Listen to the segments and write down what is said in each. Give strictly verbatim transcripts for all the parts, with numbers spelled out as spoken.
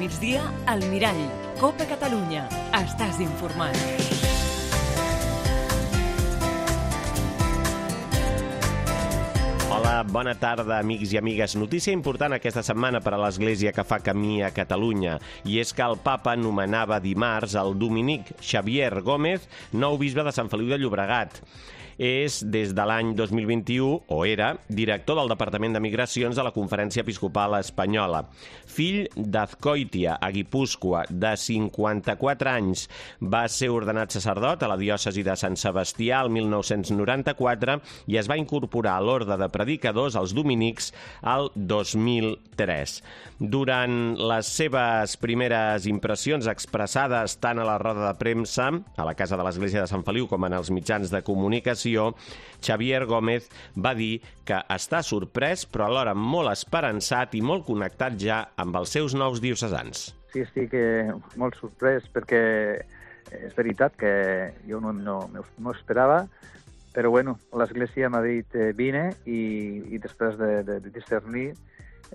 migdia, al Mirall. Copa Catalunya. Estàs informat. Hola, bona tarda, amics i amigues. Notícia important aquesta setmana per a l'Església que fa camí a Catalunya, i és que el papa nomenava dimarts el dominic Xavier Gómez nou bisbe de Sant Feliu de Llobregat. És, des de l'any dos mil vint-i-u, o era, director del Departament de Migracions de la Conferència Episcopal Espanyola. Fill d'Azkoitia, a Guipúscoa, de cinquanta-quatre anys, va ser ordenat sacerdot a la diòcesi de Sant Sebastià el mil nou-cents noranta-quatre i es va incorporar a l'orde de predicadors els dominics al dos mil tres. Durant les seves primeres impressions expressades tant a la roda de premsa, a la Casa de l'Església de Sant Feliu, com en els mitjans de comunicació, Xavier Gómez va dir que està sorprès, però alhora molt esperançat i molt connectat ja amb els seus nous diocesans. Sí, estic eh, molt sorprès perquè és veritat que jo no, no, no esperava, però bueno, l'Església m'ha dit eh, vine i, i després de, de, de discernir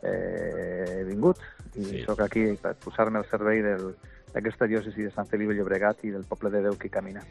eh, he vingut i sí. Soc aquí per posar-me al servei d'aquesta diòcesi de Sant Feliu de Llobregat i del poble de Déu que camina.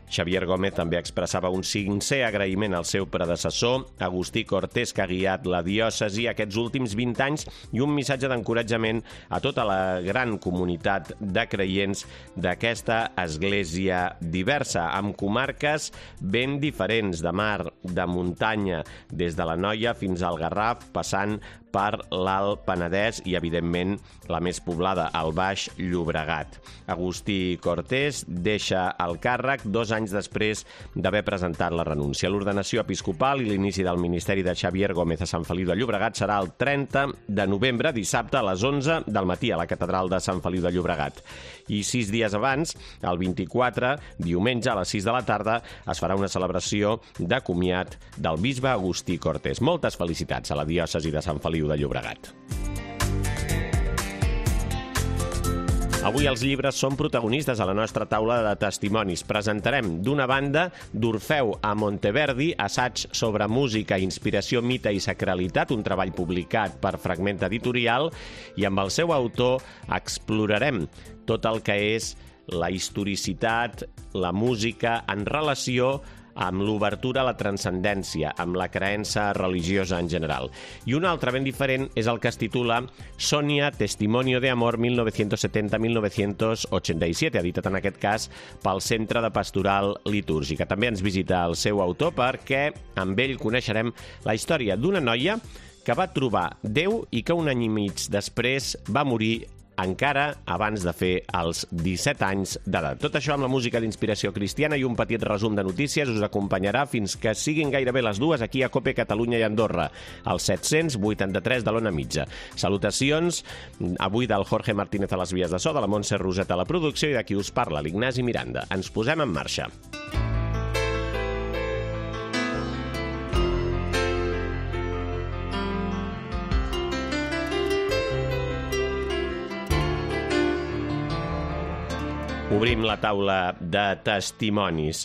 Xavier Gómez també expressava un sincer agraïment al seu predecessor, Agustí Cortés, que ha guiat la diòcesi aquests últims vint anys, i un missatge d'encoratjament a tota la gran comunitat de creients d'aquesta església diversa, amb comarques ben diferents, de mar, de muntanya, des de la Noia fins al Garraf, passant per l'Alt Penedès i, evidentment, la més poblada, el Baix Llobregat. Agustí Cortés deixa el càrrec dos anys després d'haver presentat la renúncia. L'ordenació episcopal i l'inici del ministeri de Xavier Gómez a Sant Feliu de Llobregat serà el trenta de novembre, dissabte a les onze del matí, a la catedral de Sant Feliu de Llobregat. I sis dies abans, el vint-i-quatre, diumenge a les sis de la tarda, es farà una celebració de comiat del bisbe Agustí Cortés. Moltes felicitats a la diòcesi de Sant Feliu de Llobregat. Avui els llibres són protagonistes a la nostra taula de testimonis. Presentarem, d'una banda, d'Orfeu a Monteverdi, assaig sobre música, inspiració, mite i sacralitat, un treball publicat per Fragment Editorial, i amb el seu autor explorarem tot el que és la historicitat, la música, en relació amb l'obertura a la transcendència, amb la creença religiosa en general. I un altre ben diferent és el que es titula Sonia, Testimonio de Amor mil novecientos setenta a mil novecientos ochenta y siete, editat en aquest cas pel Centre de Pastoral Litúrgica. També ens visita el seu autor perquè amb ell coneixerem la història d'una noia que va trobar Déu i que un any i mig després va morir encara abans de fer els disset anys d'edat. Tot això amb la música d'inspiració cristiana i un petit resum de notícies us acompanyarà fins que siguin gairebé les dues aquí a Cope Catalunya i Andorra, al set-cents vuitanta-tres de l'Ona Mitja. Salutacions avui del Jorge Martínez a les vies de so, de la Montse Roset a la producció i de qui us parla, l'Ignasi Miranda. Ens posem en marxa. Obrim la taula de testimonis.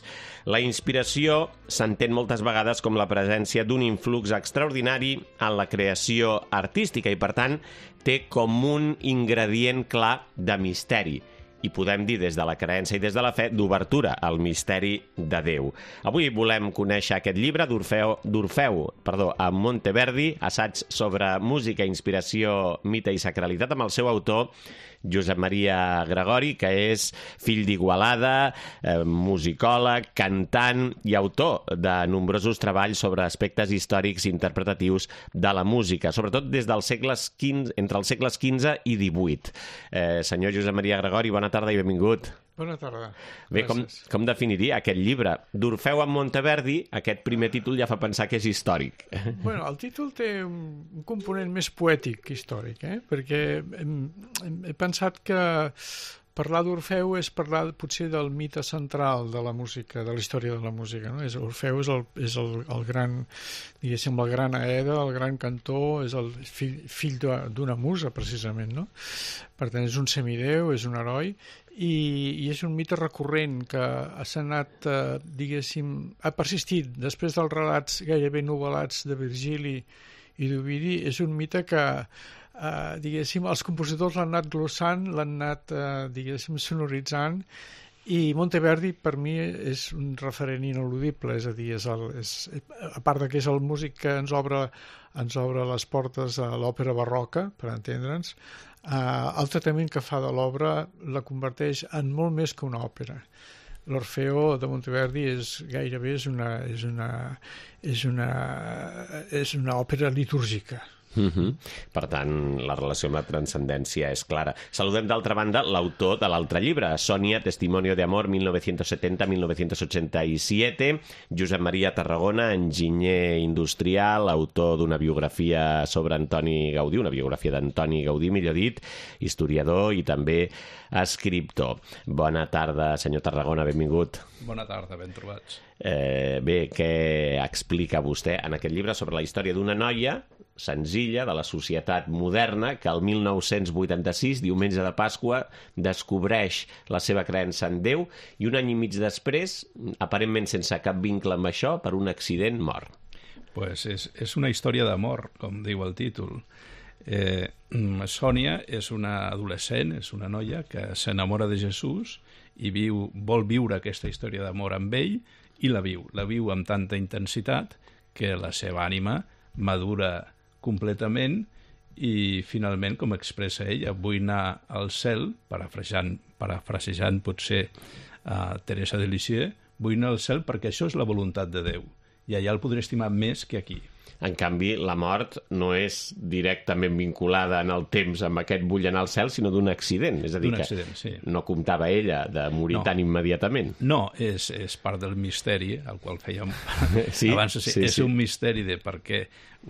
La inspiració s'entén moltes vegades com la presència d'un influx extraordinari en la creació artística i, per tant, té com un ingredient clar de misteri. I podem dir, des de la creença i des de la fe, d'obertura al misteri de Déu. Avui volem conèixer aquest llibre d'Orfeu, d'Orfeu perdó, a Monteverdi, assaig sobre música, inspiració, mite i sacralitat, amb el seu autor, Josep Maria Gregori, que és fill d'Igualada, eh, musicòleg, cantant i autor de nombrosos treballs sobre aspectes històrics i interpretatius de la música, sobretot des dels segles quinze, entre els segles quinze i divuit. Eh, senyor Josep Maria Gregori, bona tarda i benvingut. Bona tarda. Bé, com, com definiria aquest llibre? D'Orfeu a Monteverdi, aquest primer títol ja fa pensar que és històric. Bueno, el títol té un component més poètic que històric, eh? Perquè hem, hem, he pensat que parlar d'Orfeu és parlar potser del mite central de la música, de la història de la música, no? És, Orfeu és, el, és el, el gran, diguéssim, el gran Aeda, el gran cantor, és el fill, fill d'una musa, precisament, no? Per tant, és un semidéu, és un heroi, i, i és un mite recurrent que s'ha anat, eh, diguéssim, ha persistit després dels relats gairebé novel·lats de Virgili i d'Ovidi. És un mite que uh, diguéssim, els compositors l'han anat glossant, l'han anat, uh, diguéssim, sonoritzant, i Monteverdi per mi és un referent ineludible, és a dir, és el, és, a part de que és el músic que ens obre, ens obre les portes a l'òpera barroca, per entendre'ns, uh, el tractament que fa de l'obra la converteix en molt més que una òpera. L'Orfeo de Monteverdi és gairebé és una, és una, és una, és una òpera litúrgica. Uh-huh. Per tant, la relació amb la transcendència és clara. Saludem d'altra banda l'autor de l'altre llibre, Sonia, Testimonio de Amor, mil novecientos setenta a mil novecientos ochenta y siete, Josep Maria Tarragona, enginyer industrial, autor d'una biografia sobre Antoni Gaudí, una biografia d'Antoni Gaudí, millor dit, historiador i també escriptor. Bona tarda, senyor Tarragona, benvingut. Bona tarda, ben trobats. Eh, bé, què explica vostè en aquest llibre sobre la història d'una noia senzilla de la societat moderna que el mil nou-cents vuitanta-sis, diumenge de Pasqua, descobreix la seva creença en Déu i un any i mig després, aparentment sense cap vincle amb això, per un accident mor. Pues és, és una història d'amor, com diu el títol. Eh, Sònia és una adolescent, és una noia que s'enamora de Jesús i viu, vol viure aquesta història d'amor amb ell i la viu. La viu amb tanta intensitat que la seva ànima madura completament i finalment, com expressa ella, vull anar al cel, parafrasejant, parafrasejant potser a Teresa de Lisieux, vull anar al cel perquè això és la voluntat de Déu i allà el podré estimar més que aquí. En canvi, la mort no és directament vinculada en el temps amb aquest vull anar al cel, sinó d'un accident. És a dir, que accident, sí. No comptava ella de morir no. tan immediatament. No, és, és part del misteri, al qual fèiem sí? abans. Sí, sí, és sí. un misteri de per què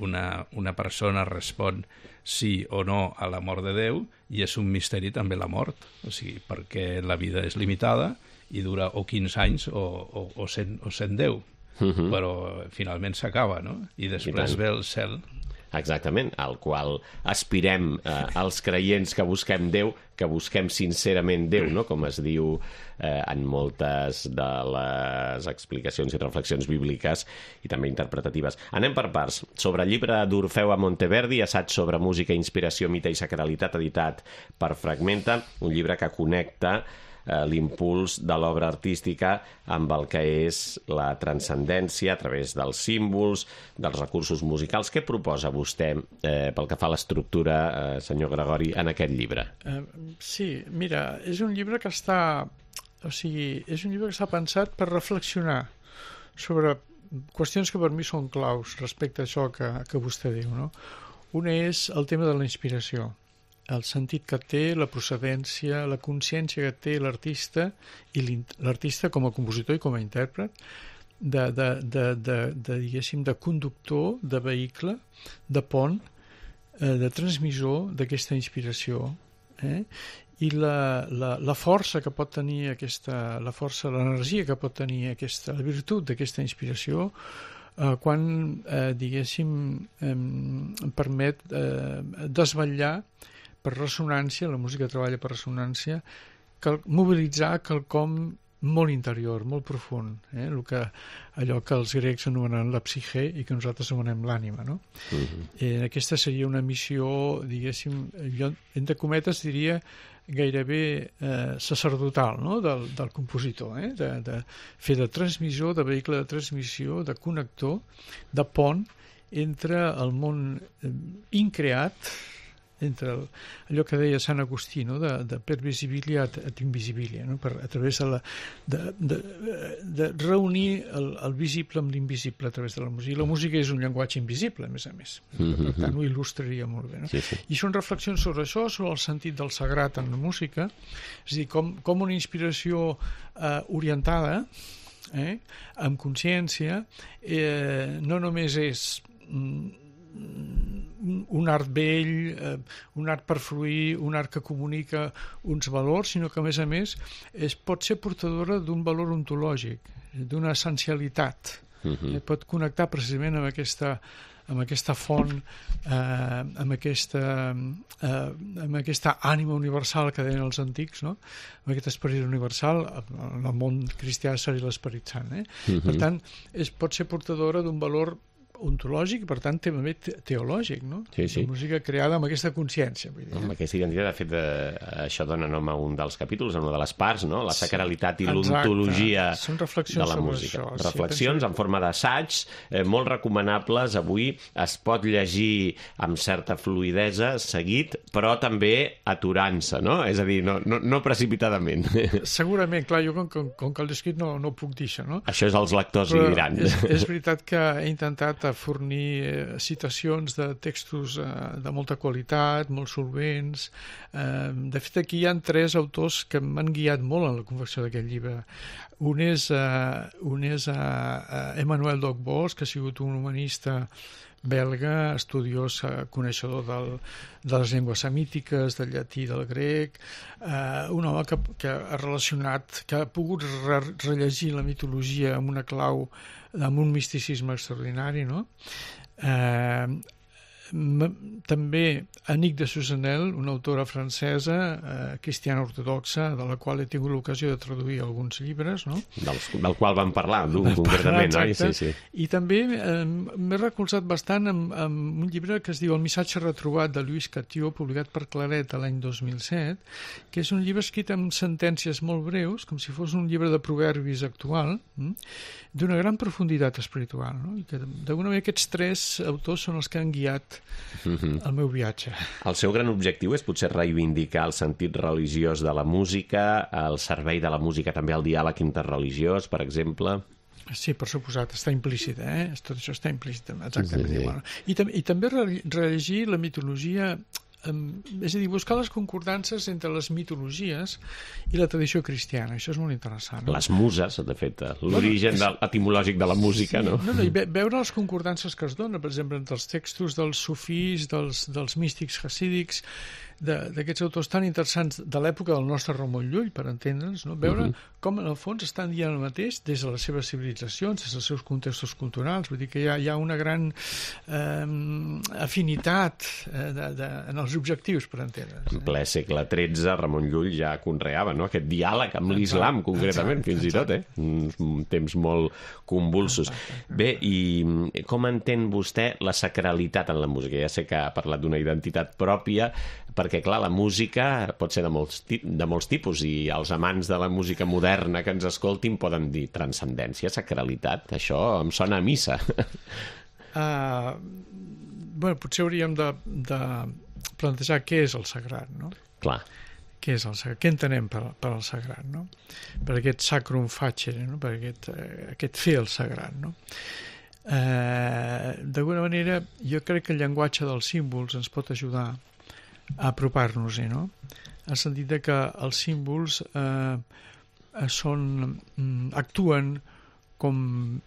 una, una persona respon sí o no a l'amor de Déu, i és un misteri també la mort. O sigui, perquè la vida és limitada i dura o quinze anys o, o, o, cent, o cent deu. Uh-huh. Però finalment s'acaba, no? I després I ve el cel. Exactament, al qual aspirem eh, els creients que busquem Déu, que busquem sincerament Déu, no? Com es diu eh, en moltes de les explicacions i reflexions bíbliques i també interpretatives. Anem per parts. Sobre el llibre d'Orfeu a Monteverdi, assaig sobre música, inspiració, mite i sacralitat, editat per Fragmenta, un llibre que connecta l'impuls de l'obra artística amb el que és la transcendència a través dels símbols, dels recursos musicals. Què proposa vostè eh, pel que fa a l'estructura, eh, senyor Gregori, en aquest llibre? Uh, sí, mira, és un llibre que està... O sigui, és un llibre que està pensat per reflexionar sobre qüestions que per mi són claus respecte a això que, que vostè diu, no? Una és el tema de la inspiració, el sentit que té, la procedència, la consciència que té l'artista i l'artista com a compositor i com a intèrpret de, de, de, de, de, diguéssim, de conductor, de vehicle, de pont, eh, de transmissor d'aquesta inspiració, eh? I la, la, la força que pot tenir aquesta, la força, l'energia que pot tenir aquesta, la virtut d'aquesta inspiració eh, quan, eh, diguéssim, eh, permet eh, desvetllar per ressonància, la música treballa per ressonància, cal mobilitzar quelcom molt interior, molt profund, eh? El que, allò que els grecs anomenen la psique i que nosaltres anomenem l'ànima, no? Uh-huh. eh, aquesta seria una missió, diguéssim, jo, entre cometes diria gairebé eh, sacerdotal, no? del, del compositor, eh? de, de fer de transmissor, de vehicle de transmissió, de connector, de pont entre el món eh, increat, entre el, allò que deia Sant Agustí, no? de, de per visibilia et invisibilia, no? Per, a través de, la, de, de, de reunir el, el visible amb l'invisible a través de la música. I la música és un llenguatge invisible, a més a més. Mm-hmm. Per tant, ho il·lustraria molt bé. No? Sí, sí. I són reflexions sobre això, sobre el sentit del sagrat en la música, és a dir, com, com una inspiració eh, orientada, eh, amb consciència, eh, no només és... Mm, un art vell, eh, un art per fluir, un art que comunica uns valors, sinó que a més a més es pot ser portadora d'un valor ontològic, d'una essencialitat. Uh-huh. eh, pot connectar precisament amb aquesta, amb aquesta font, eh, amb, aquesta, eh, amb aquesta ànima universal que deien els antics, no? Amb aquest esperit universal, en el món cristià seria l'Esperit Sant. Eh? Uh-huh. Per tant, es pot ser portadora d'un valor ontològic i, per tant, també teològic, no? Sí, sí. Una música creada amb aquesta consciència. Vull dir, amb aquesta identitat, de fet, eh, això dona nom a un dels capítols, a una de les parts, no? La sacralitat i l'ontologia de la música. Això, reflexions sí, en forma d'assaig, eh, molt recomanables. Avui es pot llegir amb certa fluïdesa, seguit, però també aturant-se, no? És a dir, no, no, no precipitadament. Segurament, clar, jo com, com, com que l'he escrit no, no ho puc dir, això, no? Això és els lectors li diran. És, és veritat que he intentat fornir eh, citacions de textos eh, de molta qualitat, molt solvents. Eh, de fet, aquí hi ha tres autors que m'han guiat molt en la confecció d'aquest llibre. Un és, eh, un és eh, Emmanuel Docbos, que ha sigut un humanista belga, estudiós, eh, coneixedor del, de les llengües semítiques, del llatí, del grec, eh, un home que, que ha relacionat, que ha pogut re rellegir la mitologia amb una clau, amb un misticisme extraordinari, no? Eh, també Annick de Susanel, una autora francesa, eh, cristiana ortodoxa, de la qual he tingut l'ocasió de traduir alguns llibres, no? Del, del qual vam parlar, d'un concretament, oi? Sí, sí. I també eh, m'he recolzat bastant amb, amb un llibre que es diu El missatge retrobat de Lluís Catió, publicat per Claret l'any dos mil set, que és un llibre escrit amb sentències molt breus, com si fos un llibre de proverbis actual, hm? d'una gran profunditat espiritual, no? I que d'alguna manera aquests tres autors són els que han guiat el meu viatge. El seu gran objectiu és potser reivindicar el sentit religiós de la música, el servei de la música també al diàleg interreligiós, per exemple. Sí, per suposat, està implícit, eh? Tot això està implícit, exactament. Sí, sí. Bueno, I, tam I també rellegir la mitologia, eh, és a dir, buscar les concordances entre les mitologies i la tradició cristiana. Això és molt interessant. No? Les muses, de fet, l'origen bueno, és... etimològic de la música, sí, no? No, no, i ve veure les concordances que es donen, per exemple, entre els textos dels sufís, dels, dels místics hasídics, d'aquests autors tan interessants de l'època del nostre Ramon Llull, per entendre'ns, no? Veure uh -huh. com en el fons estan dient el mateix des de les seves civilitzacions, des dels seus contextos culturals. Vull dir que hi ha, hi ha una gran eh, afinitat eh, de, de, en els objectius, per entendre'ns. En ple segle tretze, Ramon Llull ja conreava, no?, aquest diàleg amb l'islam, concretament, exacte, fins exacte. i tot, eh? Un temps molt convulsos. Exacte. Bé, i com entén vostè la sacralitat en la música? Ja sé que ha parlat d'una identitat pròpia, perquè, clar, la música pot ser de molts, de molts tipus i els amants de la música moderna que ens escoltin poden dir transcendència, sacralitat, això em sona a missa. Uh, bueno, potser hauríem de, de plantejar què és el sagrat, no? Clar. Què és el sagrat? Què entenem per, per el sagrat, no? Per aquest sacrum facere, no? Per aquest, eh, aquest fer el sagrat, no? Uh, d'alguna manera, jo crec que el llenguatge dels símbols ens pot ajudar a apropar-nos-hi, no? En el sentit de que els símbols eh, són, actuen com,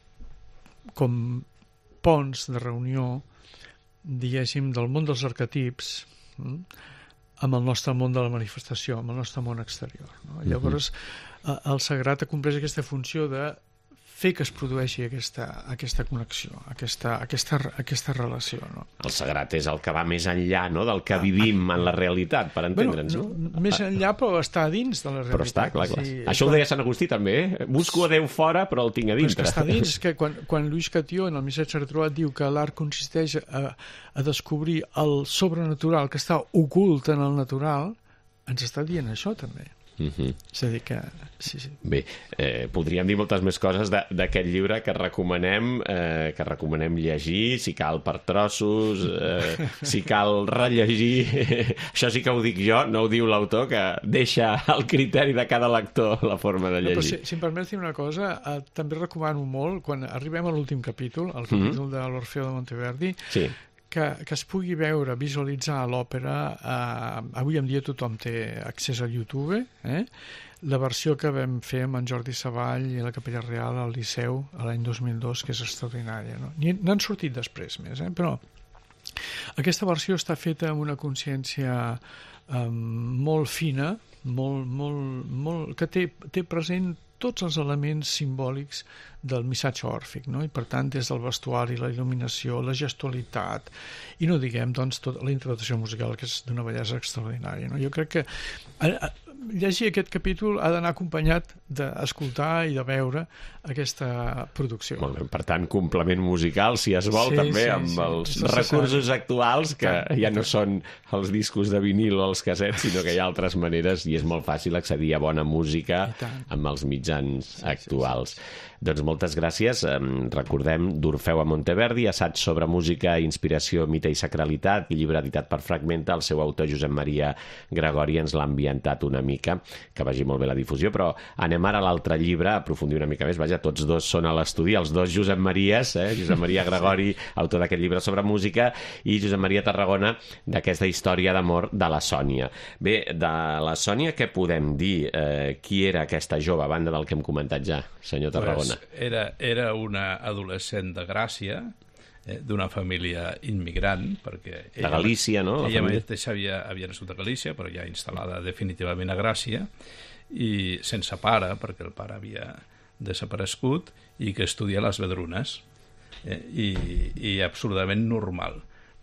com ponts de reunió, diguéssim, del món dels arquetips hm, amb el nostre món de la manifestació, amb el nostre món exterior, no? Uh-huh. Llavors, eh, el sagrat acompleix aquesta funció de fer que es produeixi aquesta, aquesta connexió, aquesta, aquesta, aquesta relació, no? El sagrat és el que va més enllà, no?, del que vivim en la realitat, per entendre'ns, bueno, no? Més enllà, però està dins de la realitat. Però està, clar, clar. Sí, això ho deia Sant Agustí també, eh? Busco a Déu fora, però el tinc a dintre. Però és que està dins, que quan, quan Lluís Catió, en el missatge retrobat, diu que l'art consisteix a, a descobrir el sobrenatural que està ocult en el natural, ens està dient això, també. Uh-huh. És a dir que... Sí, sí. Bé, eh, podríem dir moltes més coses d'aquest llibre que recomanem, eh, que recomanem llegir, si cal per trossos, eh, si cal rellegir. Això sí que ho dic jo, no ho diu l'autor, que deixa al criteri de cada lector la forma de llegir. No, però si, si em permets dir una cosa, eh, també recomano molt, quan arribem a l'últim capítol, el capítol uh-huh. de l'Orfeo de Monteverdi, sí. Que, que es pugui veure, visualitzar l'òpera. Eh, avui en dia tothom té accés a YouTube, eh? La versió que vam fer amb en Jordi Savall i la Capella Real al Liceu l'any dos mil dos, que és extraordinària, no? N'han sortit després més, eh? Però aquesta versió està feta amb una consciència eh, molt fina, molt, molt, molt, que té, té present tots els elements simbòlics del missatge òrfic, no? I per tant des del vestuari, la il·luminació, la gestualitat i no diguem doncs tota la interpretació musical, que és d'una bellesa extraordinària, no? Jo crec que llegir aquest capítol ha d'anar acompanyat d'escoltar i de veure aquesta producció. Molt bé, per tant, complement musical, si es vol, Sí, també sí, amb sí, els és necessari. recursos actuals, que Tant. ja no són els discos de vinil o els cassets, sinó que hi ha altres maneres i és molt fàcil accedir a bona música I tant. amb els mitjans actuals. Doncs moltes gràcies. Em, Recordem d'Orfeu a Monteverdi, assaig sobre música, inspiració, mite i sacralitat, llibre editat per Fragmenta. El seu autor, Josep Maria Gregori, ens l'ha ambientat una mica, que vagi molt bé la difusió, però anem ara a l'altre llibre, a aprofundir una mica més. Vaja, tots dos són a l'estudi, els dos Josep Maries, eh? Josep Maria Gregori, autor d'aquest llibre sobre música, i Josep Maria Tarragona, d'aquesta història d'amor de la Sònia. Bé, de la Sònia què podem dir? Eh, qui era aquesta jove, a banda del que hem comentat ja, senyor Tarragona? Pues era, era una adolescent de Gràcia, eh, d'una família immigrant, perquè De Galícia, no? La Ella família. mateixa havia, havia nascut a Galícia, però ja instal·lada definitivament a Gràcia, i sense pare, perquè el pare havia desaparegut, i que estudia a les Vedrunes, eh, i, i absolutament normal.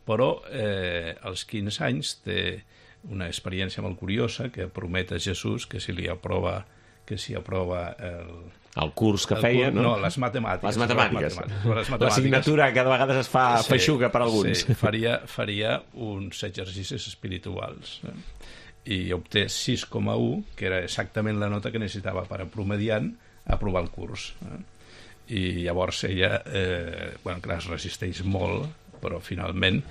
Però eh, als quinze anys té una experiència molt curiosa que promet a Jesús que si li aprova, que si aprova el, El curs que el feia, curs, no? no, les matemàtiques. Les matemàtiques. Les matemàtiques. Les matemàtiques. L'assignatura que de vegades es fa Sí, feixuga per alguns. Sí, faria, faria uns exercicis espirituals. Eh? I obté sis coma u, que era exactament la nota que necessitava per a promediant aprovar el curs. Eh? I llavors ella, eh, bueno, clar, es resisteix molt, però finalment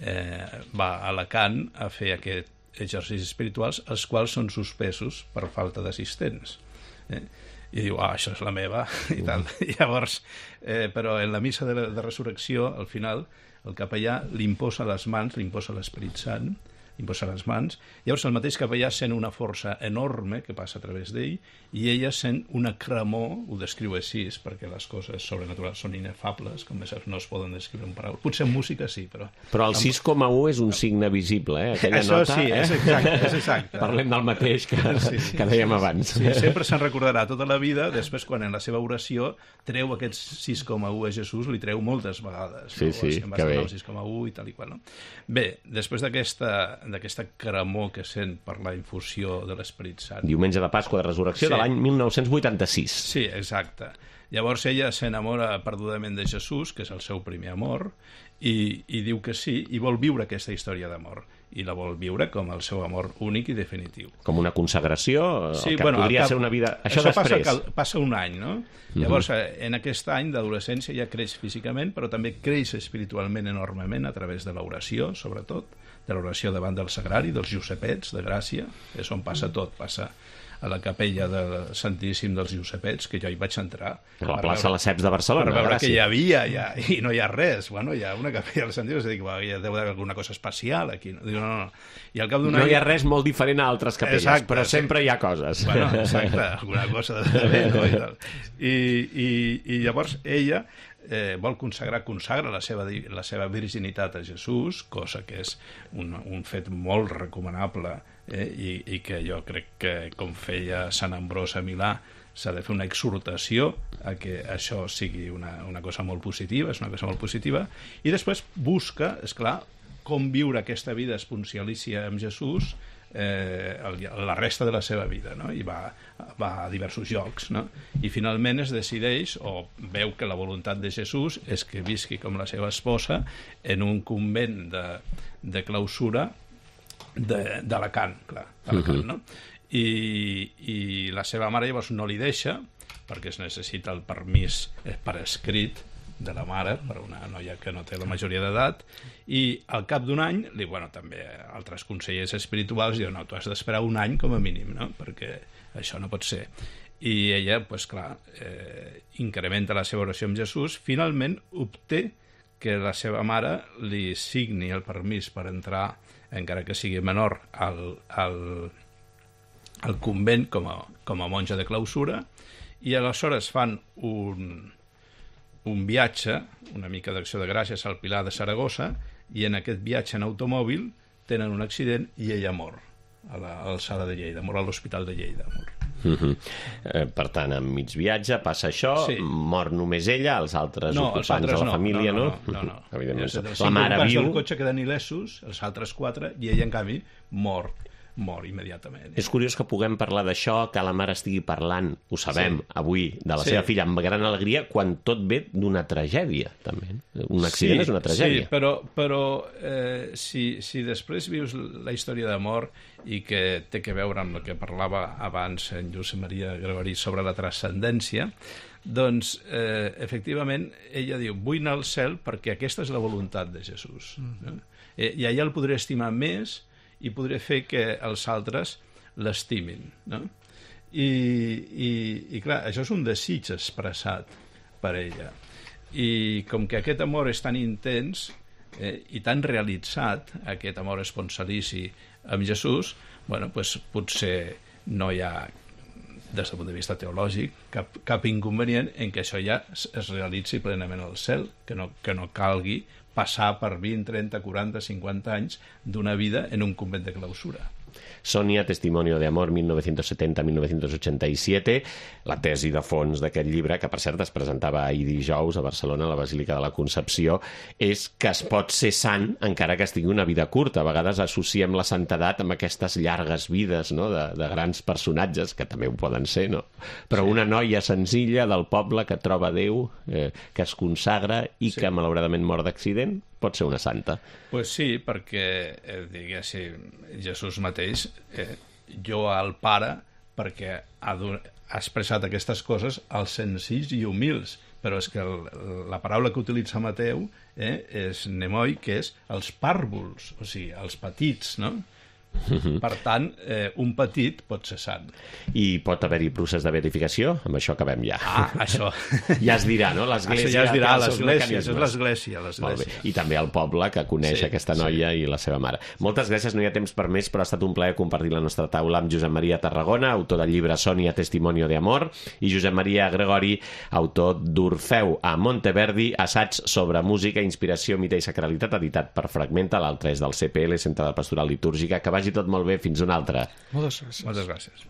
eh, va a Alacant a fer aquests exercicis espirituals, els quals són suspesos per falta d'assistents. Eh? I diu, ah, això és la meva, i tal. I llavors, eh, però en la missa de, de resurrecció, al final, el capellà li imposa les mans, li imposa l'Esperit Sant, li imposa les mans. Llavors el mateix capellà sent una força enorme que passa a través d'ell, i ella sent una cremor, ho descriu així, perquè les coses sobrenaturals són inefables, com més no es poden descriure en paraules. Potser en música sí, però... Però el sis coma u és un signe visible, eh? Aquella Això nota, sí, eh? és exacte, és exacte. Parlem del mateix que, Sí. que dèiem abans. Sí, sempre se'n recordarà tota la vida, després quan en la seva oració treu aquests sis coma u a Jesús, li treu moltes vegades. Sí, no? sí, Em vas que bé. donar el sis coma u i tal i qual. No? Bé, després d'aquesta d'aquesta cremor que sent per la infusió de l'Esperit Sant. Diumenge de Pasqua de Resurrecció Sí. de l'any mil nou-cents vuitanta-sis. Sí, exacte. Llavors ella s'enamora perdudament de Jesús, que és el seu primer amor, i, i diu que sí, i vol viure aquesta història d'amor. I la vol viure com el seu amor únic i definitiu. Com una consagració, Sí, el que bueno, podria al cap- ser una vida... Això, Això passa, després. cal- passa un any, no? Llavors, eh, en aquest any d'adolescència ja creix físicament, però també creix espiritualment enormement a través de l'oració, sobretot, de l'oració davant del Sagrari, dels Josepets de Gràcia, és on passa tot, passa a la capella del Santíssim dels Josepets, que jo hi vaig entrar. A la per plaça veure- Lesseps de Barcelona, Per veure Gràcia. que hi havia, ja, i no hi ha res. Bueno, hi ha una capella del Santíssim, és a dir, que hi deu haver alguna cosa especial aquí. No, Diu, no, no. I al cap d'un No any... hi ha res molt diferent a altres capelles, Exacte, però sí. sempre hi ha coses. Bueno, exacte, alguna cosa de bé, no? I, tal. I, i, i llavors ella eh, vol consagrar, consagra la seva, di- la seva virginitat a Jesús, cosa que és un, un fet molt recomanable, eh, i, i que jo crec que, com feia Sant Ambròs a Milà, s'ha de fer una exhortació a que això sigui una, una cosa molt positiva, és una cosa molt positiva, i després busca, és clar, com viure aquesta vida esponcialícia amb Jesús eh, el, la resta de la seva vida, no? I va, va a diversos llocs, no? I finalment es decideix, o veu que la voluntat de Jesús és que visqui com la seva esposa en un convent de, de clausura de- d'Alacant, clar, d'Alacant, no? I, i la seva mare llavors no li deixa, perquè es necessita el permís eh, per escrit de la mare, per una noia que no té la majoria d'edat, i al cap d'un any, li, bueno, també altres consellers espirituals diuen, no, tu has d'esperar un any com a mínim, no? Perquè això no pot ser. I ella, pues, clar, eh, incrementa la seva oració amb Jesús, finalment obté que la seva mare li signi el permís per entrar, encara que sigui menor, al, al, al convent com a, com a monja de clausura, i aleshores fan un, un viatge, una mica d'acció de gràcies al Pilar de Saragossa, i en aquest viatge en automòbil tenen un accident i ella mor a l'alçada de Lleida, mor a l'Hospital de Lleida. Mor. Uh -huh. eh, per tant, en mig viatge passa això, Sí. mor només ella, els altres No, ocupants els altres de la no, família, no? no? No, no, no. Evidentment. Els La mare ocupants viu... del cotxe queden il·lesos, els altres quatre, i ella, en canvi, mor mor immediatament. És curiós que puguem parlar d'això, que la mare estigui parlant, ho sabem, sí. avui, de la sí. seva filla amb gran alegria, quan tot ve d'una tragèdia, també. Un accident sí, és una tragèdia. Sí, però, però eh, si, si després vius la història d'amor i que té que veure amb el que parlava abans en Josep Maria Gregori sobre la transcendència, doncs, eh, efectivament, ella diu, vull anar al cel perquè aquesta és la voluntat de Jesús. Mm. No? Eh, I allà el podré estimar més i podré fer que els altres l'estimin, no? I, i, i clar, això és un desig expressat per ella. I com que aquest amor és tan intens eh, i tan realitzat, aquest amor esponsalici amb Jesús, bueno, pues, potser no hi ha, des del punt de vista teològic, cap, cap inconvenient en que això ja es, es realitzi plenament al cel, que no, que no calgui passar per vint, trenta, quaranta, cinquanta anys d'una vida en un convent de clausura. Sonia, Testimonio de Amor, mil novecientos setenta a mil novecientos ochenta y siete, la tesi de fons d'aquest llibre, que per cert es presentava ahir dijous a Barcelona, a la Basílica de la Concepció, és que es pot ser sant encara que es tingui una vida curta. A vegades associem la santedat amb aquestes llargues vides, no?, de, de grans personatges, que també ho poden ser, no? Però sí. Una noia senzilla del poble que troba Déu, eh, que es consagra i sí. que malauradament mor d'accident, pot ser una santa. Pues sí, perquè, eh, diguéssim, Jesús mateix, eh, jo al Pare, perquè ha, ha expressat aquestes coses als senzills i humils, però és que el, la paraula que utilitza Mateu eh, és nemoi, que és els pàrvuls, o sigui, els petits, no? Mm-hmm. Per tant, eh, un petit pot ser sant. I pot haver-hi procés de beatificació? Amb això acabem ja. Ah, això. Ja es dirà, no? L'església. Això ja es dirà, l'església, és l'església. Molt bé. I també el poble que coneix sí, aquesta noia sí. i la seva mare. Moltes gràcies, no hi ha temps per més, però ha estat un plaer compartir la nostra taula amb Josep Maria Tarragona, autor del llibre Sonia, Testimonio de Amor, i Josep Maria Gregori, autor d'Orfeu a Monteverdi, assaig sobre música, inspiració, mite i sacralitat, editat per Fragmenta, l'altre és del C P L, Centre de Pastoral Litúrgica, que vagi tot molt bé, fins una altra. Moltes gràcies. Moltes gràcies.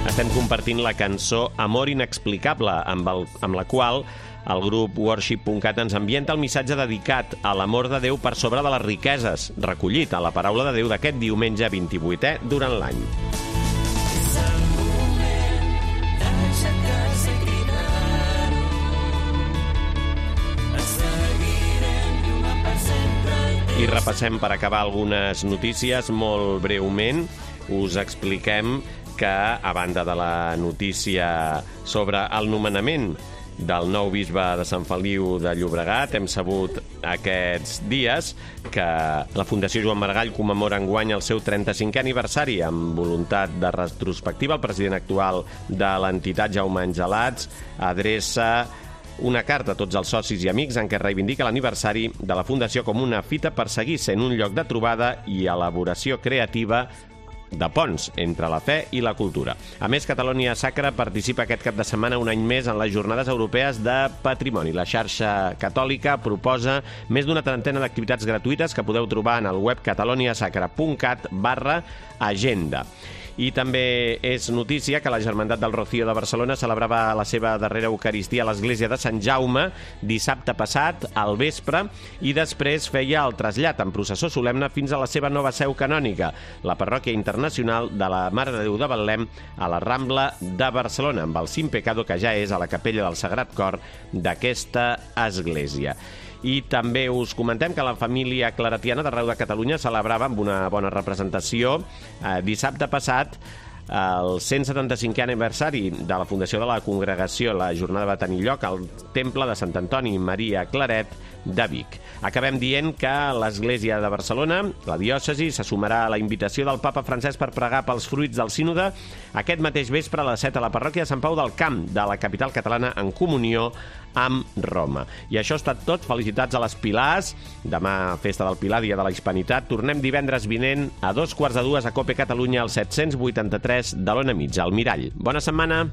Estem compartint la cançó Amor inexplicable, amb, el, amb la qual el grup worship punt cat ens ambienta el missatge dedicat a l'amor de Déu per sobre de les riqueses, recollit a la paraula de Déu d'aquest diumenge vint-i-vuitè durant l'any. I repassem per acabar algunes notícies molt breument. Us expliquem que, a banda de la notícia sobre el nomenament del nou bisbe de Sant Feliu de Llobregat, hem sabut aquests dies que la Fundació Joan Maragall commemora enguany el seu trenta-cinquè aniversari. Amb voluntat de retrospectiva, el president actual de l'entitat, Jaume Angelats, adreça una carta a tots els socis i amics en què reivindica l'aniversari de la Fundació com una fita per seguir sent un lloc de trobada i elaboració creativa de ponts entre la fe i la cultura. A més, Catalonia Sacra participa aquest cap de setmana un any més en les Jornades Europees de Patrimoni. La xarxa catòlica proposa més d'una trentena d'activitats gratuïtes que podeu trobar en el web cataloniasacra punt cat barra agenda. I també és notícia que la Germandat del Rocío de Barcelona celebrava la seva darrera Eucaristia a l'església de Sant Jaume dissabte passat, al vespre, i després feia el trasllat en processó solemne fins a la seva nova seu canònica, la Parròquia Internacional de la Mare de Déu de Betlem a la Rambla de Barcelona, amb el Sin Pecado, que ja és a la capella del Sagrat Cor d'aquesta església. I també us comentem que la família claretiana d'arreu de Catalunya celebrava amb una bona representació eh, dissabte passat el cent setanta-cinquè aniversari de la fundació de la congregació. La jornada va tenir lloc al Temple de Sant Antoni Maria Claret de Vic. Acabem dient que l'Església de Barcelona, la diòcesi, se sumarà a la invitació del papa Francesc per pregar pels fruits del sínode aquest mateix vespre a les set a la parròquia de Sant Pau del Camp de la capital catalana en comunió amb Roma. I això ha estat tot. Felicitats a les Pilars. Demà, festa del Pilar, dia de la Hispanitat. Tornem divendres vinent a dos quarts de dues a Cope Catalunya al set-cents vuitanta-tres de l'Ona Mitja, al Mirall. Bona setmana!